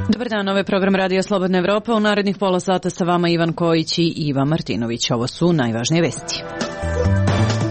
Dobar dan, ovo je program Radio Slobodna Evropa. U narednih pola sata sa vama Ivan Kojić i Iva Martinović. Ovo su najvažnije vesti.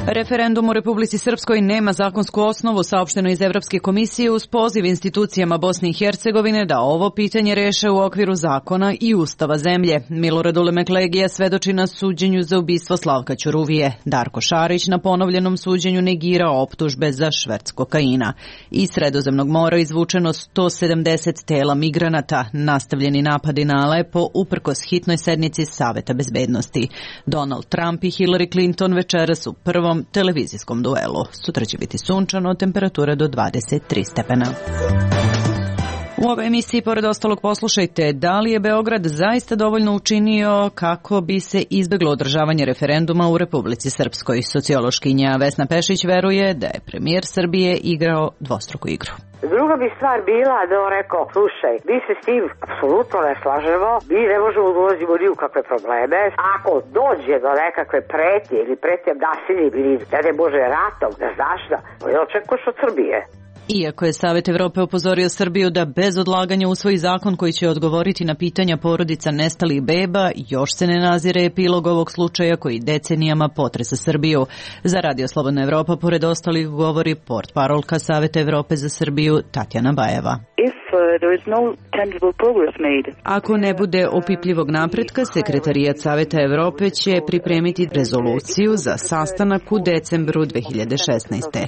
Referendum u Republici Srpskoj nema zakonsku osnovu, saopšteno iz Evropske komisije uz poziv institucijama Bosne i Hercegovine da ovo pitanje reše u okviru zakona i ustava zemlje. Milorad Ulemek Legija svedoči na suđenju za ubistvo Slavka Ćuruvije. Darko Šarić na ponovljenom suđenju negira optužbe za šverc kokaina. Iz Sredozemnog mora izvučeno 170 tela migranata, nastavljeni napadi na Alepo uprkos hitnoj sednici Saveta bezbednosti. Donald Trump i Hillary Clinton večeras u prvom televizijskom duelu. Sutra će biti sunčano, temperatura do 23 stepena. U ovoj emisiji, pored ostalog, poslušajte da li je Beograd zaista dovoljno učinio kako bi se izbeglo održavanje referenduma u Republici Srpskoj. Sociološkinja Vesna Pešić veruje da je premijer Srbije igrao dvostruku igru. Druga bi stvar bila da on rekao, slušaj, mi se s tim apsolutno ne slažemo, mi ne možemo da ulazimo ni u kakve probleme. Ako dođe do nekakve pretnje ili pretnje nasiljem ili ne može ratom, ne znaš da, ne očekuješ od Srbije. Iako je Savet Evrope upozorio Srbiju da bez odlaganja usvoji zakon koji će odgovoriti na pitanja porodica nestalih beba, još se ne nazire epilog ovog slučaja koji decenijama potresa Srbiju. Za Radio Slobodna Evropa, pored ostalih, govori portparolka Saveta Evrope za Srbiju Tatjana Bajeva. Ako ne bude opipljivog napretka, Sekretarijat Saveta Evrope će pripremiti rezoluciju za sastanak u decembru 2016.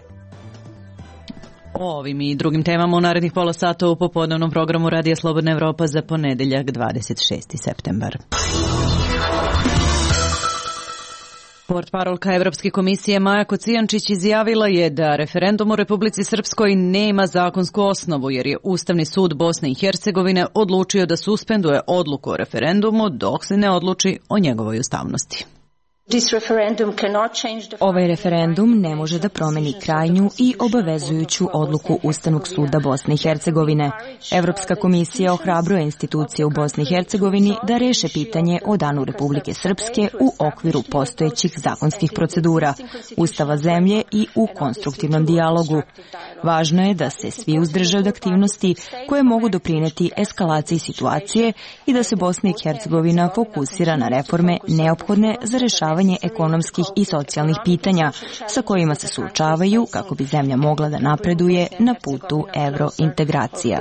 O ovim i drugim temama u narednih pola sata u popodnevnom programu Radija Slobodna Evropa za ponedeljak 26. septembar. Portparolka Evropske komisije Maja Kocijančić izjavila je da referendum u Republici Srpskoj nema zakonsku osnovu jer je Ustavni sud Bosne i Hercegovine odlučio da suspenduje odluku o referendumu dok se ne odluči o njegovoj ustavnosti. Ovaj referendum ne može da promeni krajnju i obavezujuću odluku Ustavnog suda Bosne i Hercegovine. Evropska komisija ohrabruje institucije u Bosni i Hercegovini da reše pitanje o Danu Republike Srpske u okviru postojećih zakonskih procedura, Ustava zemlje i u konstruktivnom dijalogu. Važno je da se svi uzdrže od aktivnosti koje mogu doprineti eskalaciji situacije i da se Bosna i Hercegovina fokusira na reforme neophodne za rešavanje ekonomskih i socijalnih pitanja sa kojima se suočavaju kako bi zemlja mogla da napreduje na putu evrointegracija.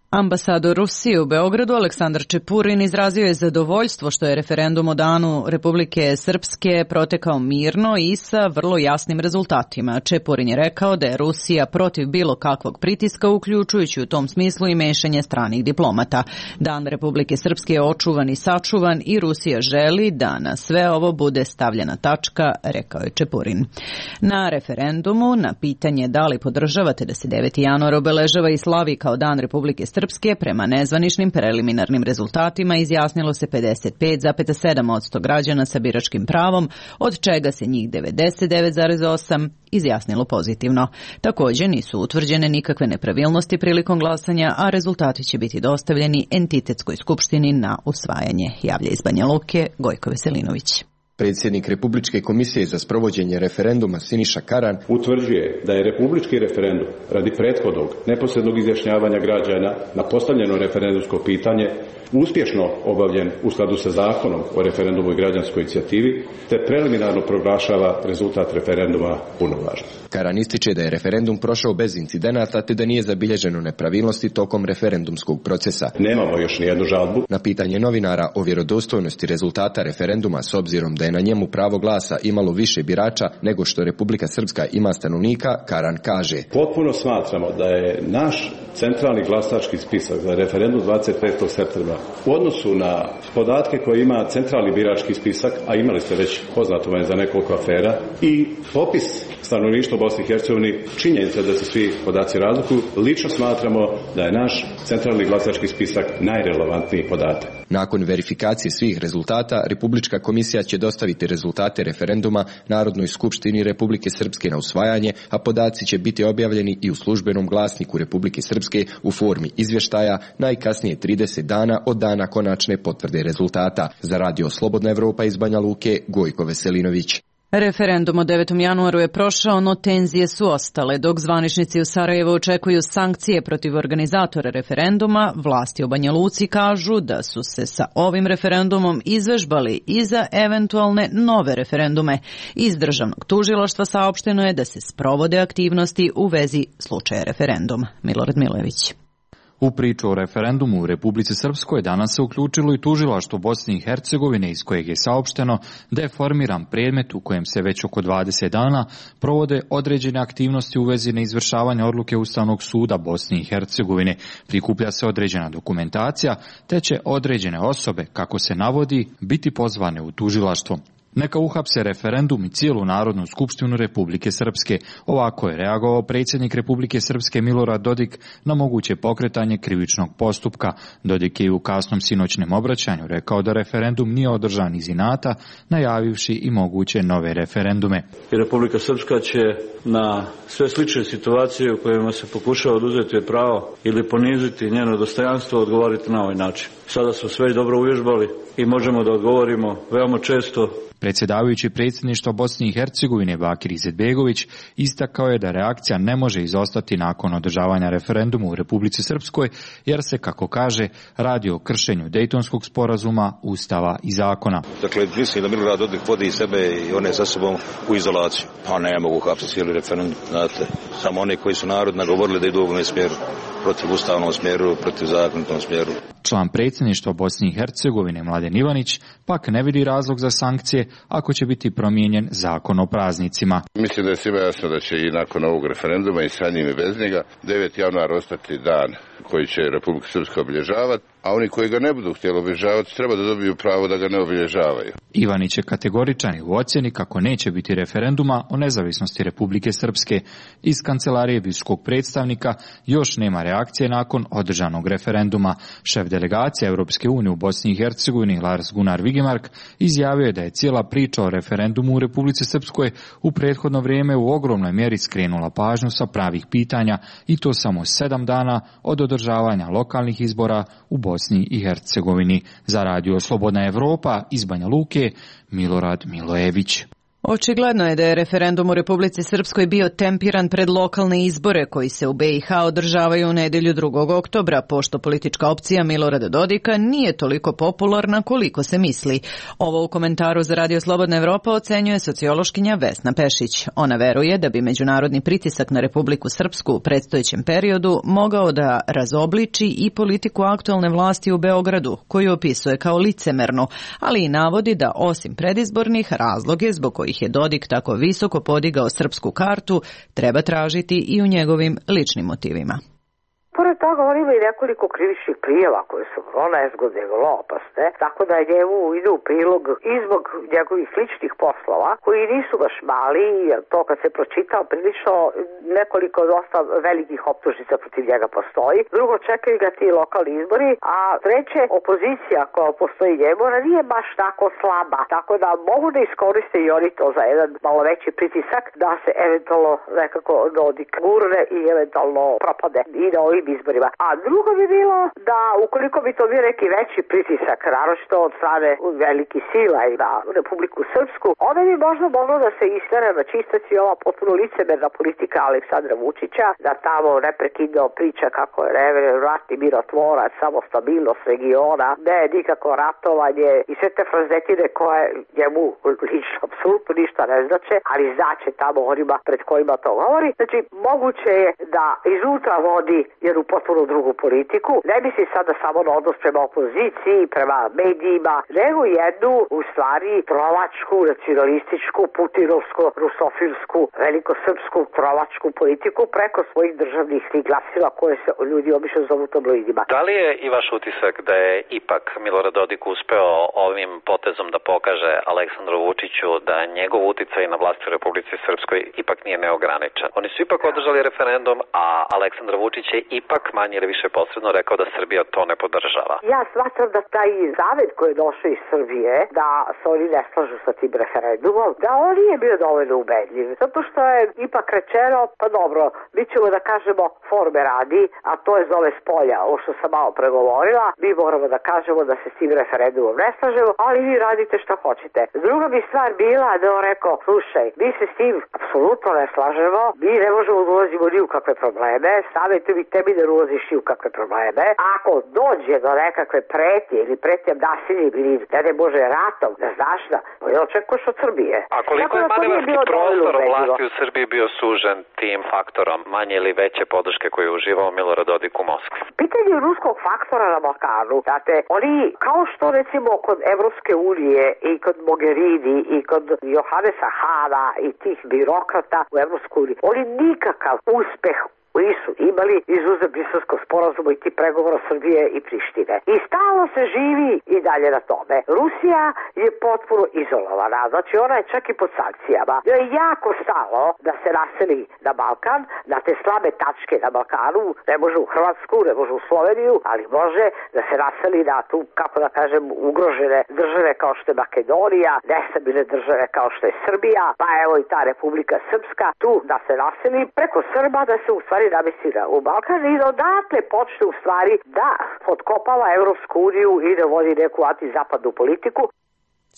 Ambasador Rusije u Beogradu Aleksandar Čepurin izrazio je zadovoljstvo što je referendum o Danu Republike Srpske protekao mirno i sa vrlo jasnim rezultatima. Čepurin je rekao da je Rusija protiv bilo kakvog pritiska, uključujući u tom smislu i mešanje stranih diplomata. Dan Republike Srpske je očuvan i sačuvan i Rusija želi da na sve ovo bude stavljena tačka, rekao je Čepurin. Na referendumu na pitanje da li podržavate da se 9. januar obeležava i slavi kao Dan Republike Srpske, prema nezvaničnim preliminarnim rezultatima izjasnilo se 55,7% građana sa biračkim pravom, od čega se njih 99,8% izjasnilo pozitivno. Također nisu utvrđene nikakve nepravilnosti prilikom glasanja, a rezultati će biti dostavljeni Entitetskoj skupštini na usvajanje, javlja iz Banja Luke Gojko Veselinović. Predsjednik Republičke komisije za sprovođenje referenduma Siniša Karan utvrđuje da je republički referendum radi prethodnog neposrednog izjašnjavanja građana na postavljeno referendumsko pitanje uspješno obavljen u skladu sa zakonom o referendumu i građanskoj inicijativi, te preliminarno proglašava rezultat referenduma punovažnim. Karan ističe da je referendum prošao bez incidenata te da nije zabilježeno nepravilnosti tokom referendumskog procesa. Nemamo još nijednu žalbu. Na pitanje novinara o vjerodostojnosti rezultata referenduma s obzirom da je na njemu pravo glasa imalo više birača nego što Republika Srpska ima stanovnika, Karan kaže: Potpuno smatramo da je naš centralni glasački spisak za referendum 25. septembra u odnosu na podatke koje ima centralni birački spisak, a imali ste već poznato vam je za nekoliko afera, i popis stanovništva u Bosni i Hercegovini, činjenica da se svi podaci razlikuju, lično smatramo da je naš centralni glasački spisak najrelevantniji podatak. Nakon verifikacije svih rezultata, Republička komisija će dostaviti rezultate referenduma Narodnoj skupštini Republike Srpske na usvajanje, a podaci će biti objavljeni i u službenom glasniku Republike Srpske u formi izvještaja najkasnije 30 dana od dana konačne potvrde rezultata. Za Radio Slobodna Evropa iz Banja Luke, Gojko Veselinović. Referendum o 9. januaru je prošao, no tenzije su ostale. Dok zvaničnici u Sarajevu očekuju sankcije protiv organizatora referenduma, vlasti u Banja Luci kažu da su se sa ovim referendumom izvežbali i za eventualne nove referendume. Iz državnog tužilaštva saopšteno je da se sprovode aktivnosti u vezi slučaja referenduma. Milorad Milojević. U priču o referendumu u Republici Srpskoj danas se uključilo i tužilaštvo Bosne i Hercegovine, iz kojeg je saopšteno da je formiran predmet u kojem se već oko 20 dana provode određene aktivnosti u vezi neizvršavanja odluke Ustavnog suda Bosne i Hercegovine. Prikuplja se određena dokumentacija, te će određene osobe, kako se navodi, biti pozvane u tužilaštvo. Neka uhapse referendum i cijelu Narodnu skupštinu Republike Srpske. Ovako je reagovao predsjednik Republike Srpske Milorad Dodik na moguće pokretanje krivičnog postupka. Dodik je u kasnom sinoćnem obraćanju rekao da referendum nije održan iz inata, najavivši i moguće nove referendume. I Republika Srpska će na sve slične situacije u kojima se pokušava oduzeti pravo ili poniziti njeno dostojanstvo odgovoriti na ovaj način. Sada smo sve dobro uvježbali i možemo da odgovorimo veoma često. Predsjedavajući predsjedništva Bosne i Hercegovine Bakir Izetbegović istakao je da reakcija ne može izostati nakon održavanja referenduma u Republici Srpskoj, jer se, kako kaže, radi o kršenju Dejtonskog sporazuma, Ustava i zakona. Dakle, mislim da Milorad Dodik vodi sebe i one sa sobom u izolaciju. Pa ne mogu hapsiti cijeli referendum, znate. Samo oni koji su narod nagovorili da idu u ovom smjeru, protiv ustavnom smjeru, protiv zakonitom smjeru. Član predsjedništva Bosne i Hercegovine Mladen Ivanić pak ne vidi razlog za sankcije ako će biti promijenjen zakon o praznicima. Mislim da je svima jasno da će i nakon ovog referenduma i sa njim i bez njega 9. januar ostati dan koji će Republika Srpska obilježavati, a oni koji ga ne budu htjeli obilježavati treba da dobiju pravo da ga ne obilježavaju. Ivanić je kategoričan u ocjeni kako neće biti referenduma o nezavisnosti Republike Srpske. Iz kancelarije visokog predstavnika još nema reakcije nakon održanog referenduma. Šef delegacije Europske unije u Bosni i Hercegovini Lars Gunnar Vigemark izjavio je da je cijela priča o referendumu u Republici Srpskoj u prethodno vrijeme u ogromnoj mjeri skrenula pažnju sa pravih pitanja, i to samo 7 dana od održavanja lokalnih izbora u Bosni i Hercegovini. Za Radio Slobodna Evropa iz Banja Luke, Milorad Milojević. Očigledno je da je referendum u Republici Srpskoj bio tempiran pred lokalne izbore koji se u BiH održavaju u nedjelju 2. oktobra, pošto politička opcija Milorada Dodika nije toliko popularna koliko se misli. Ovo u komentaru za Radio Slobodna Evropa ocenjuje sociološkinja Vesna Pešić. Ona veruje da bi međunarodni pritisak na Republiku Srpsku u predstojećem periodu mogao da razobliči i politiku aktualne vlasti u Beogradu, koju opisuje kao licemernu, ali i navodi da osim predizbornih razloge zbog kojih je Dodik tako visoko podigao srpsku kartu, treba tražiti i u njegovim ličnim motivima. Pored toga on ima i nekoliko krivičnih prijava koje su vrlo nezgodne i vrlo opasne, tako da njemu ide u prilog i zbog njegovih ličnih poslova, koji nisu baš mali, jer to kad se pročitao prilično nekoliko dosta velikih optužnica protiv njega postoji. Drugo, čekaju ga ti lokalni izbori, a treće, opozicija koja postoji njemu, ona nije baš tako slaba, tako da mogu da iskoriste i oni to za jedan malo veći pritisak da se eventualno nekako Dodik gurne i eventualno propade i na ovim izborima. A drugo bi bilo da ukoliko bi to bio neki veći pritisak, naročito od strane velikih sila i na Republiku Srpsku, onda bi možda moglo da se istere na čistac i ova potpuno licemerna politika Aleksandra Vučića, da tamo neprekidno priča kako je ratni mirotvorac, samo stabilnost regiona, ne nikako ratovanje i sve te frazetine koje njemu lično apsolutno ništa ne znače, ali znače tamo onima pred kojima to govori. Znači, moguće je da iznutra vodi jednu potpuno drugu politiku. Ne misli sada samo na odnos prema opoziciji, prema medijima, nego jednu, u stvari, trovačku, nacionalističku, putinovsku, rusofilsku, velikosrpsku trovačku politiku preko svojih državnih glasila koje se ljudi obično zovu tabloidima. Da li je i vaš utisak da je ipak Milorad Dodik uspeo ovim potezom da pokaže Aleksandru Vučiću da njegov uticaj na vlasti u Republici Srpskoj ipak nije neograničen? Oni su ipak održali referendum, a Aleksandar Vučić je ipak manje ili više posredno rekao da Srbija to ne podržava. Ja smatram da taj zavet koji je došao iz Srbije, da se oni ne slažu sa tim referendumom, da on nije bio dovoljno ubedljiv. Zato što je ipak rečeno, pa dobro, mi ćemo da kažemo forme radi, a to je zove spolja, ovo što sam malo pregovorila, mi moramo da kažemo da se s tim referendumom ne slažemo, ali vi radite što hoćete. Druga bi stvar bila da on rekao, slušaj, mi se s tim apsolutno ne slažemo, mi ne možemo da ulazimo ni u kakve probleme, savjetuj mi tebi da ulaziš ni u kakve probleme. Ako dođe do nekakve pretnje ili pretnjem nasiljem ili ne može ratom, ne znaš da, ne očekuješ od Srbije. A koliko je manevarski prostor vlasti u Srbiji bio sužen tim faktorom manje ili veće podrške koju je uživao Milorad Dodik u Moskvi? Pitanje ruskog faktora na Balkanu, znate, oni kao što recimo kod Evropske unije i kod Mogherini i kod Johannesa Hana i tih birokrata u Evropskoj uniji, oni nikakav uspeh nisu imali izuzev Briselskog sporazuma i ti pregovora Srbije i Prištine. I stalno se živi i dalje na tome. Rusija je potpuno izolovana, znači ona je čak i pod sankcijama. Joj je jako stalo da se naseli na Balkan, na te slabe tačke na Balkanu, ne može u Hrvatsku, ne može u Sloveniju, ali može da se naseli na tu, kako da kažem, ugrožene države kao što je Makedonija, nestabilne države kao što je Srbija, pa evo i ta Republika Srpska, tu da se naseli preko Srba, da se u stvari namestila u Balkan i da odatle počne u stvari da potkopava Evropsku uniju i da vodi neku antizapadnu politiku.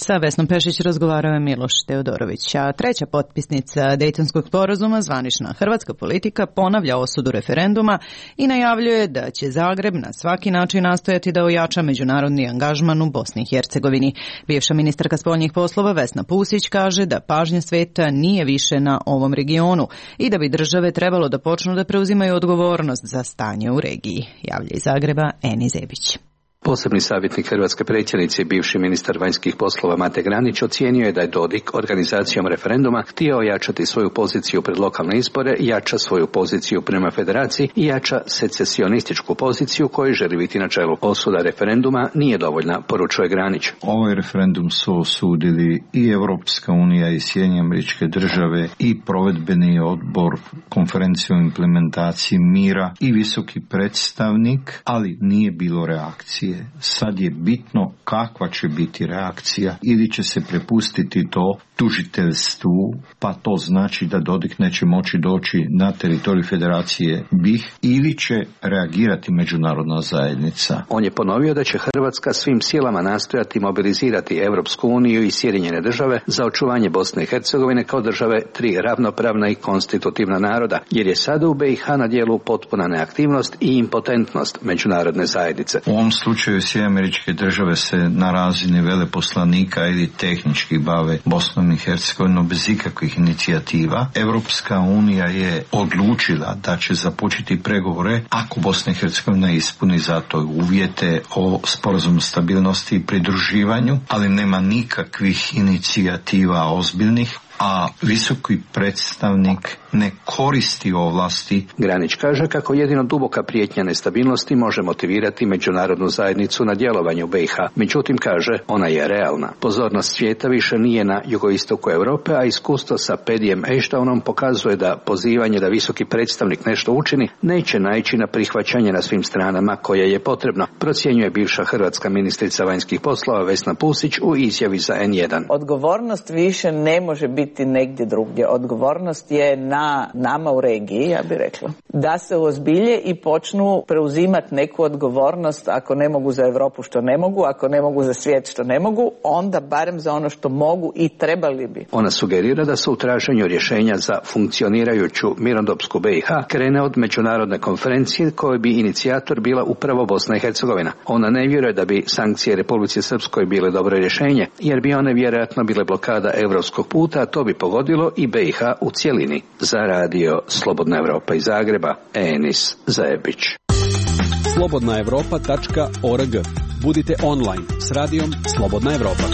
Sa Vesnom Pešić razgovarao je Miloš Teodorović, a treća potpisnica Dejtonskog sporazuma, zvanična hrvatska politika, ponavlja osudu referenduma i najavljuje da će Zagreb na svaki način nastojati da ojača međunarodni angažman u Bosni i Hercegovini. Bivša ministarka spoljnih poslova Vesna Pusić kaže da pažnja sveta nije više na ovom regionu i da bi države trebalo da počnu da preuzimaju odgovornost za stanje u regiji. Javlja iz Zagreba Eni Zebić. Posebni savjetnik hrvatske predsjednice i bivši ministar vanjskih poslova Mate Granić ocijenio je da je Dodik organizacijom referenduma htio ojačati svoju poziciju pred lokalne izbore, jača svoju poziciju prema federaciji i jača secesionističku poziciju koju želi biti na čelu. Osuda referenduma nije dovoljna, poručuje Granić. Ovaj referendum su osudili i Europska unija i Sjedinjene Američke Države i provedbeni odbor konferencije o implementaciji mira i visoki predstavnik, ali nije bilo reakcije. Sad je bitno kakva će biti reakcija, ili će se prepustiti to tužiteljstvu, pa to znači da Dodik neće moći doći na teritorij Federacije BiH, ili će reagirati međunarodna zajednica. On je ponovio da će Hrvatska svim silama nastojati mobilizirati Europsku uniju i Sjedinjene Države za očuvanje Bosne i Hercegovine kao države tri ravnopravna i konstitutivna naroda, jer je sada u BiH na djelu potpuna neaktivnost i impotentnost međunarodne zajednice. U ovom slučaju Sjedinjene Američke Države se na razini veleposlanika ili tehnički bave Bosnom i Hercegovinom bez ikakvih inicijativa. Europska unija je odlučila da će započeti pregovore ako Bosna i Hercegovina ispuni za to uvjete o sporazumu stabilnosti i pridruživanju, ali nema nikakvih inicijativa ozbiljnih, a visoki predstavnik ne koristi ovlasti. Granić kaže kako jedino duboka prijetnja nestabilnosti može motivirati međunarodnu zajednicu na djelovanje u BiH. Međutim, kaže, ona je realna. Pozornost svijeta više nije na jugoistoku Europe, a iskustvo sa Pedijem Eštaonom pokazuje da pozivanje da visoki predstavnik nešto učini neće naići na prihvaćanje na svim stranama koje je potrebno, procjenjuje bivša hrvatska ministrica vanjskih poslova Vesna Pusić u izjavi za N1. Odgovornost više ne može biti negdje drugdje. Odgovornost je na nama u regiji, ja bih rekla. Da se uozbilje i počnu preuzimati neku odgovornost, ako ne mogu za Europu što ne mogu, ako ne mogu za svijet što ne mogu, onda barem za ono što mogu i trebali bi. Ona sugerira da se u traženju rješenja za funkcionirajuću mirnodopsku BiH krene od međunarodne konferencije koje bi inicijator bila upravo Bosna i Hercegovina. Ona ne vjeruje da bi sankcije Republici Srpskoj bile dobro rješenje, jer bi one vjerojatno bile blokada europskog puta, a to bi pogodilo i BiH u cjelini. Za radio Slobodna Evropa iz Zagreba, Enis Zajebić. slobodnaevropa.org. Budite online s radijom Slobodna Evropa.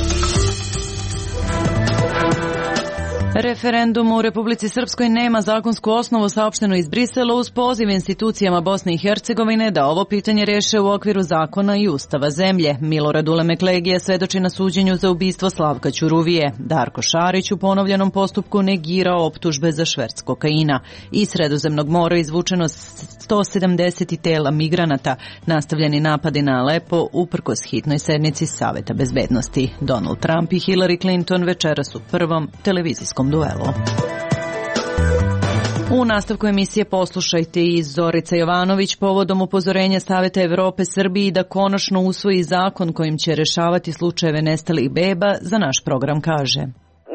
Referendum u Republici Srpskoj nema zakonsku osnovu, saopšteno iz Brisela uz poziv institucijama Bosne i Hercegovine da ovo pitanje reše u okviru zakona i ustava zemlje. Milorad Ulemek Legija svedoči na suđenju za ubistvo Slavka Ćuruvije. Darko Šarić u ponovljenom postupku negirao optužbe za šverc kokaina. Iz Sredozemnog mora izvučeno 170 tela migranata. Nastavljeni napadi na Alepo uprkos hitnoj sednici Saveta bezbednosti. Donald Trump i Hillary Clinton večeras u prvom televizijskom duelu. U nastavku emisije poslušajte i Zorica Jovanović povodom upozorenja Saveta Evrope Srbiji da konačno usvoji zakon kojim će rešavati slučajeve nestalih beba. Za naš program kaže: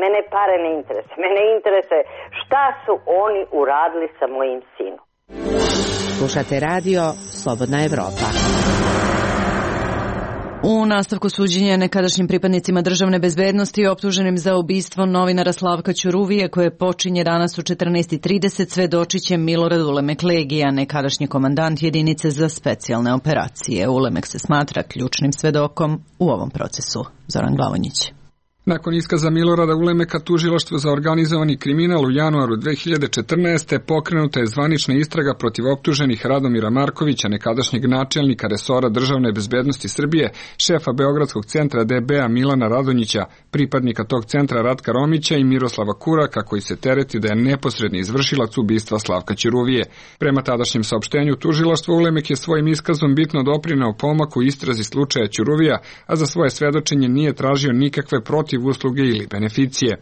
Mene pare ne interese. Mene interese šta su oni uradili sa mojim sinom. Slušate radio Slobodna Evropa. U nastavku suđenja nekadašnjim pripadnicima državne bezbednosti optuženim za ubistvo novinara Slavka Ćuruvije koje počinje danas u 14:30 svedočit će Milorad Ulemek Legija, nekadašnji komandant jedinice za specijalne operacije. Ulemek se smatra ključnim svedokom u ovom procesu. Zoran Glavonjić. Nakon iskaza Milorada Ulemeka, tužilaštvo za organizovani kriminal u januaru 2014. pokrenuta je zvanična istraga protiv optuženih Radomira Markovića, nekadašnjeg načelnika resora državne bezbednosti Srbije, šefa Beogradskog centra DB-a Milana Radonjića, pripadnika tog centra Ratka Romića i Miroslava Kuraka, koji se tereti da je neposredni izvršilac ubistva Slavka Ćuruvije. Prema tadašnjem saopštenju tužilaštva, Ulemek je svojim iskazom bitno doprineo pomaku istrazi slučaja Ćuruvija, a za svoje svedočenje nije tražio nikakve protiv usluge ili beneficije.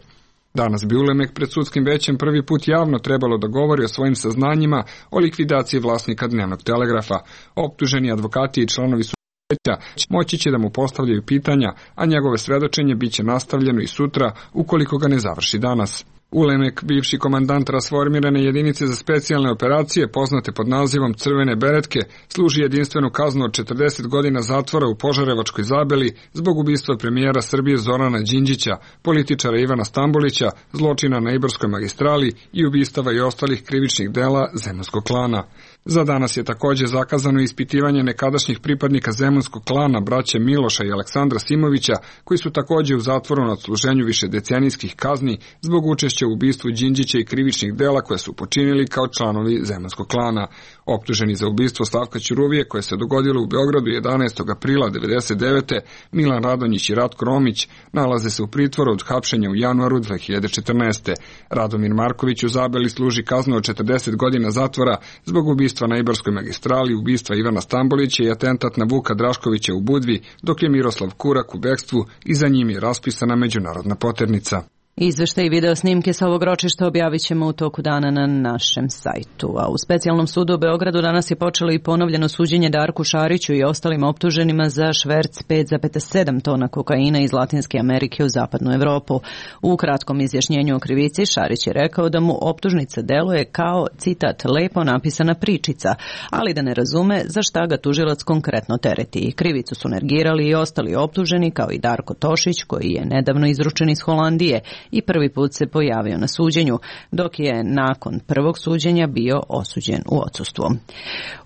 Danas bi Ulemek pred sudskim većem prvi put javno trebalo da govori o svojim saznanjima o likvidaciji vlasnika Dnevnog telegrafa. Optuženi advokati i članovi veća moći će da mu postavljaju pitanja, a njegove svedočenje biće nastavljeno i sutra ukoliko ga ne završi danas. Ulemek, bivši komandant rasformirane jedinice za specijalne operacije, poznate pod nazivom Crvene beretke, služi jedinstvenu kaznu od 40 godina zatvora u Požarevačkoj Zabeli zbog ubistva premijera Srbije Zorana Đinđića, političara Ivana Stambolića, zločina na Ibarskoj magistrali i ubistava i ostalih krivičnih dela zemunskog klana. Za danas je također zakazano ispitivanje nekadašnjih pripadnika zemunskog klana braće Miloša i Aleksandra Simovića, koji su također u zatvoru na odsluženju višedecenijskih kazni zbog učešća u ubistvu Đinđića i krivičnih dela koje su počinili kao članovi zemunskog klana. Optuženi za ubistvo Slavka Ćuruvije koje se dogodilo u Beogradu 11. aprila 1999. Milan Radonjić i Ratko Romić nalaze se u pritvoru od hapšenja u januaru 2014. Radomir Marković u Zabeli služi kaznu od 40 godina zatvora zbog ubistva na Ibarskoj magistrali, ubistva Ivana Stambolića i atentat na Vuka Draškovića u Budvi, dok je Miroslav Kurak u bekstvu i za njim je raspisana međunarodna poternica. Izveštaj i video snimke sa ovog ročišta objavit ćemo u toku dana na našem sajtu. A u specijalnom sudu u Beogradu danas je počelo i ponovljeno suđenje Darku Šariću i ostalim optuženima za šverc 5,7 tona kokaina iz Latinske Amerike u zapadnu Evropu. U kratkom izjašnjenju o krivici Šarić je rekao da mu optužnica deluje kao, citat, lepo napisana pričica, ali da ne razume za šta ga tužilac konkretno tereti. Krivicu su negirali i ostali optuženi kao i Darko Tošić koji je nedavno izručen iz Holandije i prvi put se pojavio na suđenju, dok je nakon prvog suđenja bio osuđen u odsustvu.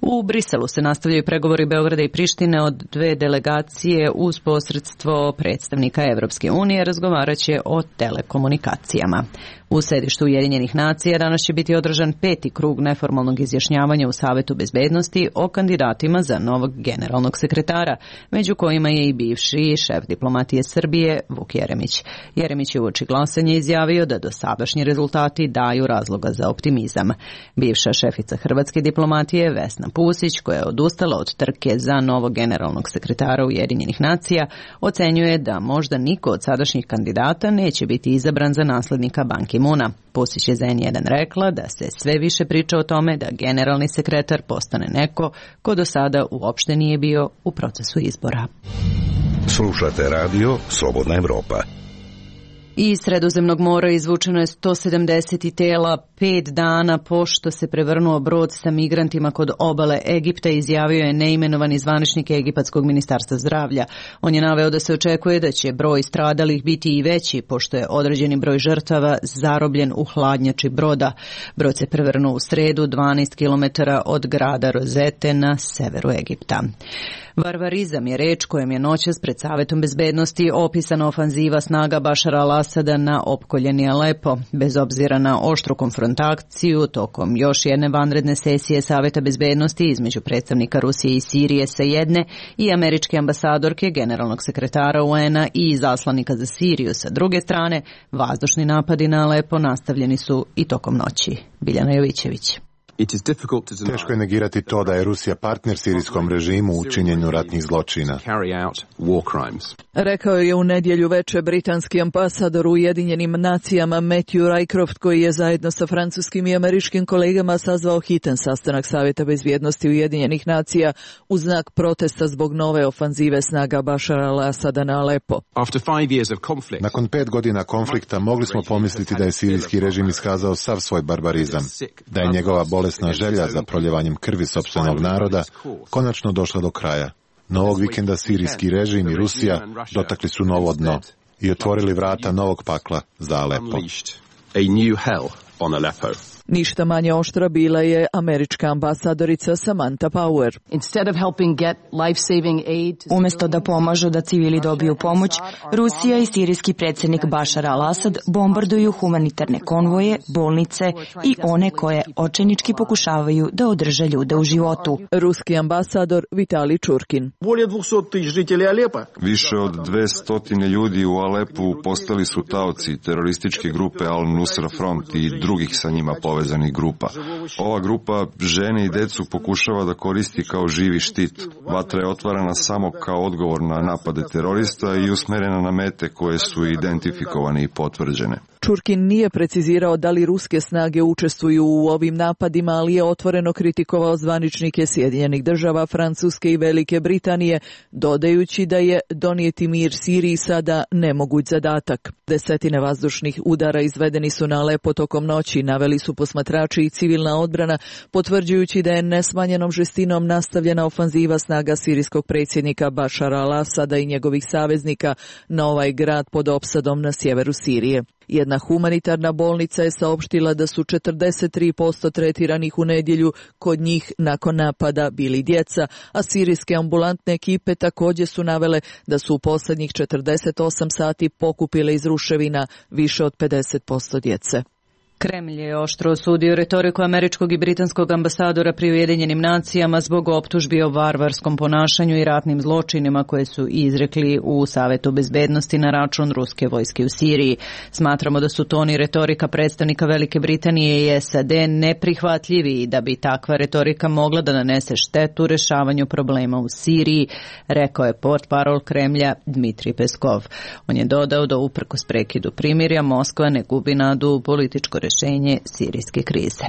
U Briselu se nastavljaju pregovori Beograda i Prištine od dve delegacije uz posredstvo predstavnika Evropske unije razgovaraće o telekomunikacijama. U sedištu Ujedinjenih nacija danas će biti održan 5. krug neformalnog izjašnjavanja u Savetu bezbednosti o kandidatima za novog generalnog sekretara, među kojima je i bivši šef diplomatije Srbije Vuk Jeremić. Jeremić je uoči glasanja izjavio da dosadašnji rezultati daju razloga za optimizam. Bivša šefica hrvatske diplomatije Vesna Pusić, koja je odustala od trke za novog generalnog sekretara Ujedinjenih nacija, ocenjuje da možda niko od sadašnjih kandidata neće biti izabran za naslednika Ban Ki-moona. Pusić je za N1 rekla da se sve više priča o tome da generalni sekretar postane neko ko do sada uopšte nije bio u procesu izbora. Slušate radio Slobodna Evropa. Iz Sredozemnog mora izvučeno je 170 tela 5 dana pošto se prevrnuo brod sa migrantima kod obale Egipta, izjavio je neimenovani zvaničnik Egipatskog ministarstva zdravlja. On je naveo da se očekuje da će broj stradalih biti i veći pošto je određeni broj žrtava zarobljen u hladnjači broda. Brod se prevrnuo u sredu 12 km od grada Rozete na severu Egipta. Varvarizam je reč kojom je noćas pred Savetom bezbednosti opisana ofanziva snaga Bašara al-Asada al-Asada na opkoljeni Alepo. Bez obzira na oštru konfrontaciju tokom još jedne vanredne sesije Saveta bezbednosti između predstavnika Rusije i Sirije sa jedne i američke ambasadorke, generalnog sekretara UN-a i izaslanika za Siriju sa druge strane, vazdušni napadi na Alepo nastavljeni su i tokom noći. Biljana Jovićević. Teško je negirati to da je Rusija partner sirijskom režimu u činjenju ratnih zločina. Rekao je u nedjelju veče britanski ambasador u Ujedinjenim nacijama Matthew Rycroft, koji je zajedno sa francuskim i američkim kolegama sazvao hitan sastanak Savjeta bezbjednosti Ujedinjenih nacija u znak protesta zbog nove ofanzive snaga Bašara al-Asada na Alepo. Nakon 5 godina konflikta mogli smo pomisliti da je sirijski režim iskazao sav svoj barbarizam, da je njegova bolesna želja za proljevanjem krvi sopstvenog naroda konačno došla do kraja. No ovog vikenda sirijski režim i Rusija dotakli su novo dno i otvorili vrata novog pakla za Alepo. Ništa manje oštra bila je američka ambasadorica Samantha Power. Umjesto da pomažu da civili dobiju pomoć, Rusija i sirijski predsjednik Bašar al-Asad bombarduju humanitarne konvoje, bolnice i one koje očajnički pokušavaju da održe ljude u životu. Ruski ambasador Vitali Čurkin. Više od 200 ljudi u Alepu postali su taoci terorističke grupe Al-Nusra Front i drugih sa njima povezanih grupa. Ova grupa žene i decu pokušava da koristi kao živi štit. Vatra je otvarana samo kao odgovor na napade terorista i usmerena na mete koje su identifikovane i potvrđene. Čurkin nije precizirao da li ruske snage učestvuju u ovim napadima, ali je otvoreno kritikovao zvaničnike Sjedinjenih država, Francuske i Velike Britanije, dodajući da je donijeti mir Siriji sada nemoguć zadatak. Desetine vazdušnih udara izvedeni su na Alepo tokom noći, naveli su posmatrači i civilna odbrana, potvrđujući da je nesmanjenom žestinom nastavljena ofanziva snaga sirijskog predsjednika Bašara al-Asada i njegovih saveznika na ovaj grad pod opsadom na sjeveru Sirije. Jedna humanitarna bolnica je saopštila da su 43% tretiranih u nedjelju kod njih nakon napada bili djeca, a sirijske ambulantne ekipe također su navele da su u posljednjih 48 sati pokupile iz ruševina više od 50% djece. Kremlj je oštro osudio retoriku američkog i britanskog ambasadora pri Ujedinjenim nacijama zbog optužbi o varvarskom ponašanju i ratnim zločinima koje su izrekli u Savetu bezbednosti na račun ruske vojske u Siriji. Smatramo da su ton i retorika predstavnika Velike Britanije i SAD neprihvatljivi i da bi takva retorika mogla da nanese štetu rešavanju problema u Siriji, rekao je portparol Kremlja Dmitrij Peskov. On je dodao da uprkos prekidu primirja Moskva ne gubi nadu u političko rješenje sirijske krize.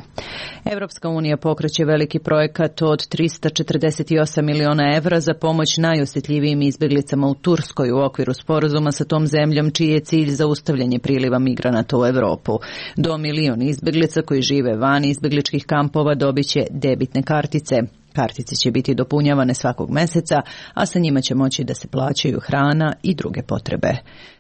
Evropska unija pokreće veliki projekat od 348 miliona evra za pomoć najosjetljivijim izbjeglicama u Turskoj u okviru sporazuma sa tom zemljom, čiji je cilj zaustavljanje priliva migranata u Europu. Do 1 milion izbjeglica koji žive van izbjegličkih kampova dobit će debitne kartice. Kartice će biti dopunjavane svakog mjeseca, a sa njima će moći da se plaćaju hrana i druge potrebe.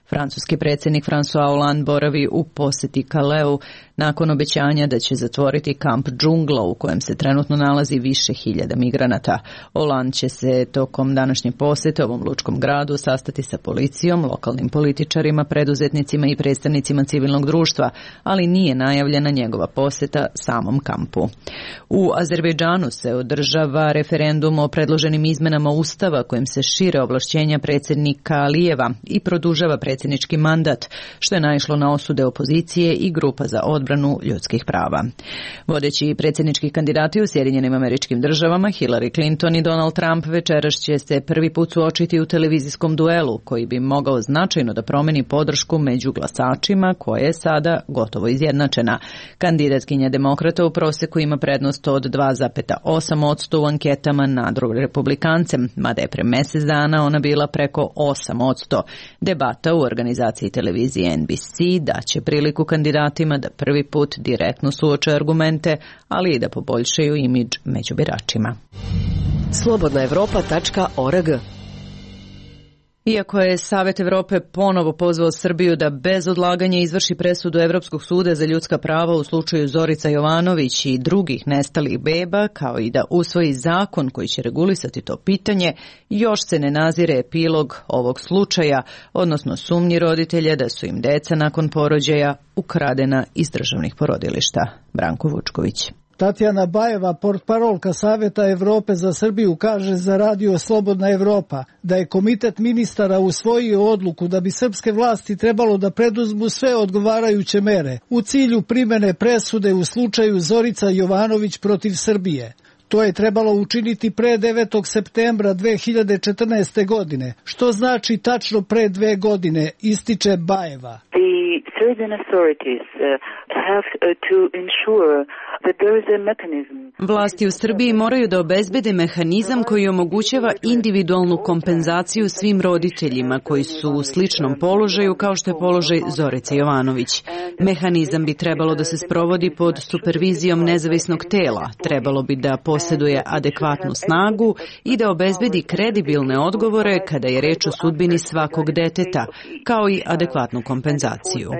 Francuski predsjednik François Hollande boravi u posjeti Caleu nakon obećanja da će zatvoriti kamp Džungla u kojem se trenutno nalazi više hiljada migranata. Hollande će se tokom današnje posjete ovom lučkom gradu sastati sa policijom, lokalnim političarima, preduzetnicima i predstavnicima civilnog društva, ali nije najavljena njegova posjeta samom kampu. U Azerbejdžanu se održava referendum o predloženim izmenama Ustava kojim se šire ovlašćenja predsjednika Alijeva i produžava predsjednički mandat, što je naišlo na osude opozicije i grupa za odbranu ljudskih prava. Vodeći predsjednički kandidati u Sjedinjenim Američkim Državama, Hillary Clinton i Donald Trump, večeras će se prvi put suočiti u televizijskom duelu koji bi mogao značajno da promeni podršku među glasačima, koja je sada gotovo izjednačena. Kandidatkinja demokrata u proseku ima prednost od 2,8% u anketama nad republikancem, mada je pre mjesec dana ona bila preko 8%. Debata u organizaciji televizije NBC daće priliku kandidatima da prvi put direktno suoče argumente, ali i da poboljšaju imidž među biračima. Slobodnaevropa.org Iako je Savet Evrope ponovo pozvao Srbiju da bez odlaganja izvrši presudu Evropskog suda za ljudska prava u slučaju Zorica Jovanović i drugih nestalih beba, kao i da usvoji zakon koji će regulisati to pitanje, još se ne nazire epilog ovog slučaja, odnosno sumnji roditelja da su im deca nakon porođaja ukradena iz državnih porodilišta. Branko Vučković. Tatjana Bajeva, portparolka Saveta Evrope za Srbiju, kaže za radio Slobodna Evropa da je Komitet ministara usvojio odluku da bi srpske vlasti trebalo da preduzmu sve odgovarajuće mere u cilju primene presude u slučaju Zorica Jovanović protiv Srbije. To je trebalo učiniti pre 9. septembra 2014. godine, što znači tačno pre 2 godine, ističe Bajeva. The Serbian authorities have to ensure that there is a mechanism. Vlasti u Srbiji moraju da obezbede mehanizam koji omogućava individualnu kompenzaciju svim roditeljima koji su u sličnom položaju kao što je položaj Zorice Jovanović. Mehanizam bi trebalo da se sprovodi pod supervizijom nezavisnog tela, trebalo bi da posjeduje adekvatnu snagu i da obezbedi kredibilne odgovore kada je reč o sudbini svakog deteta, kao i adekvatnu kompenzaciju.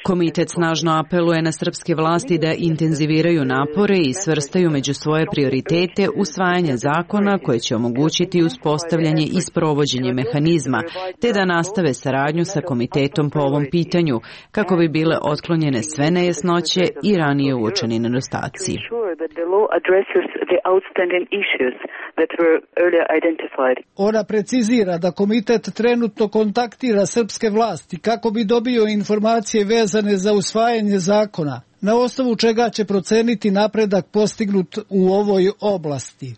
Komitet snažno apeluje na srpske vlasti da intenziviraju napore i svrstaju među svoje prioritete usvajanje zakona koje će omogućiti uspostavljanje i sprovođenje mehanizma, te da nastave saradnju sa komitetom po ovom pitanju, kako bi bile otklonjene sve nejasnoće i ranije uočeni nedostaci. Ona precizira da komitet trenutno kontaktira srpske vlasti kako bi dobio informacije vezane za usvajanje zakona, na osnovu čega će proceniti napredak postignut u ovoj oblasti.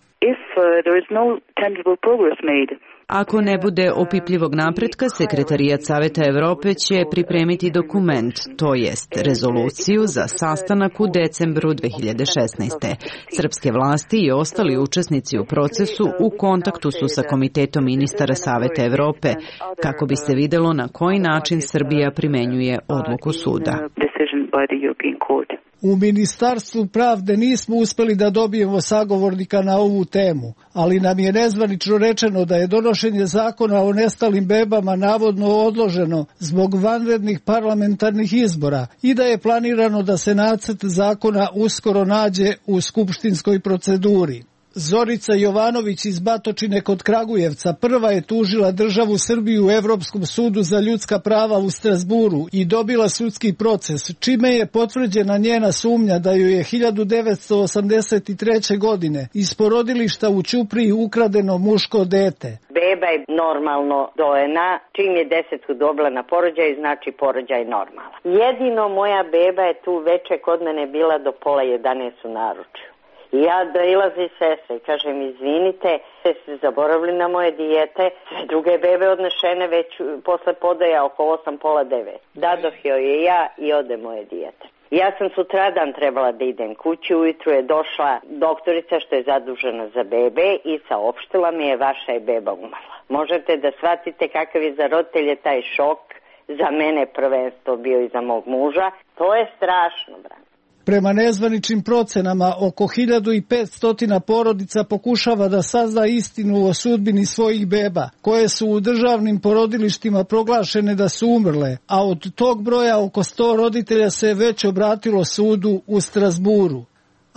Ako ne bude opipljivog napretka, Sekretarijat Saveta Evrope će pripremiti dokument, to jest rezoluciju za sastanak u decembru 2016. Srpske vlasti i ostali učesnici u procesu u kontaktu su sa Komitetom ministara Saveta Evrope, kako bi se videlo na koji način Srbija primenjuje odluku suda. U Ministarstvu pravde nismo uspeli da dobijemo sagovornika na ovu temu, ali nam je nezvanično rečeno da je donošenje zakona o nestalim bebama navodno odloženo zbog vanrednih parlamentarnih izbora i da je planirano da se nacrt zakona uskoro nađe u skupštinskoj proceduri. Zorica Jovanović iz Batočine kod Kragujevca prva je tužila državu Srbiju u Evropskom sudu za ljudska prava u Strasburu i dobila sudski proces, čime je potvrđena njena sumnja da joj je 1983. godine iz porodilišta u Ćupriji ukradeno muško dete. Beba je normalno dojena, čim je 10 dobila na porođaj, znači porođaj normalan. Jedino moja beba je tu veče kod mene bila do 10:30 u naručju. Ja dailazi sestre i kažem, izvinite, ste zaboravili na moje dijete, sve druge bebe odnešene već posle podaja oko 8:30. Dadoh joj je ja i ode moje dijete. Ja sam sutradan trebala da idem kući, ujutru je došla doktorica što je zadužena za bebe i saopštila mi je vaša je beba umrla. Možete da shvatite kakav je za roditelje taj šok, za mene prvenstvo bio i za mog muža. To je strašno, brate. Prema nezvaničnim procenama, oko 1500 porodica pokušava da sazna istinu o sudbini svojih beba, koje su u državnim porodilištima proglašene da su umrle, a od tog broja oko 100 roditelja se već obratilo sudu u Strasburu.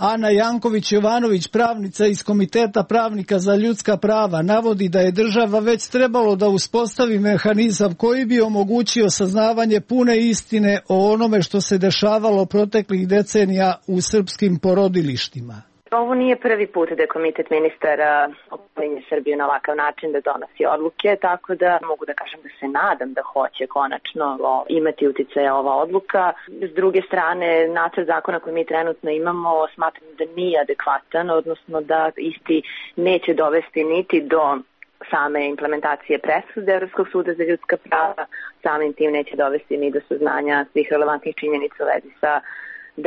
Ana Janković-Jovanović, pravnica iz Komiteta pravnika za ljudska prava, navodi da je država već trebalo da uspostavi mehanizam koji bi omogućio saznavanje pune istine o onome što se dešavalo proteklih decenija u srpskim porodilištima. Ovo nije prvi put da je Komitet ministara opominje Srbiju na ovakav način da donosi odluke, tako da mogu da kažem da se nadam da hoće konačno imati uticaja ova odluka. S druge strane, nacrt zakona koji mi trenutno imamo smatram da nije adekvatan, odnosno da isti neće dovesti niti do same implementacije presude Evropskog suda za ljudska prava, samim tim neće dovesti ni do saznanja svih relevantnih činjenica u vezi sa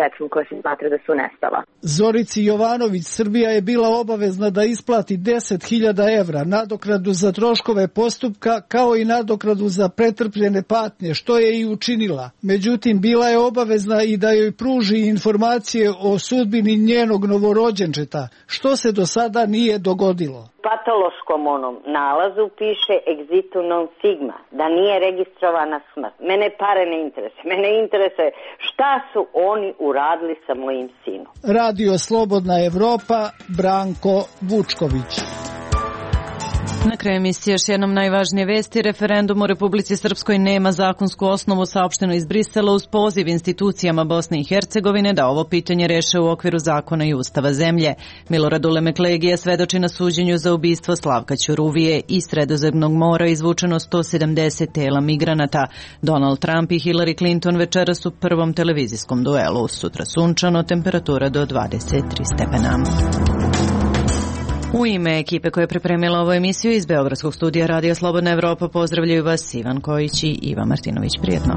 decom koja se smatra da su nestala. Zorici Jovanović Srbija je bila obavezna da isplati 10.000 evra nadoknadu za troškove postupka kao i nadoknadu za pretrpljene patnje, što je i učinila. Međutim, bila je obavezna i da joj pruži informacije o sudbini njenog novorođenčeta, što se do sada nije dogodilo. patološkom onom nalazu piše exitu non sigma, da nije registrovana smrt. Mene pare ne interesuje. Mene interesuje šta su oni uradili sa mojim sinom. Radio Slobodna Evropa, Branko Vučković. Na kraju emisije još jednom najvažnije vesti. Referendum u Republici Srpskoj nema zakonsku osnovu, saopšteno iz Brisela uz poziv institucijama Bosne i Hercegovine da ovo pitanje reše u okviru zakona i ustava zemlje. Milorad Ulemek Legija svedoči na suđenju za ubistvo Slavka Ćuruvije. Iz Sredozemnog mora izvučeno 170 tela migranata. Donald Trump i Hillary Clinton večeras u prvom televizijskom duelu. Sutra sunčano, temperatura do 23 stepena. U ime ekipe koja je pripremila ovu emisiju iz Beogradskog studija Radio Slobodna Evropa pozdravljaju vas Ivan Kojić i Iva Martinović. Prijetno.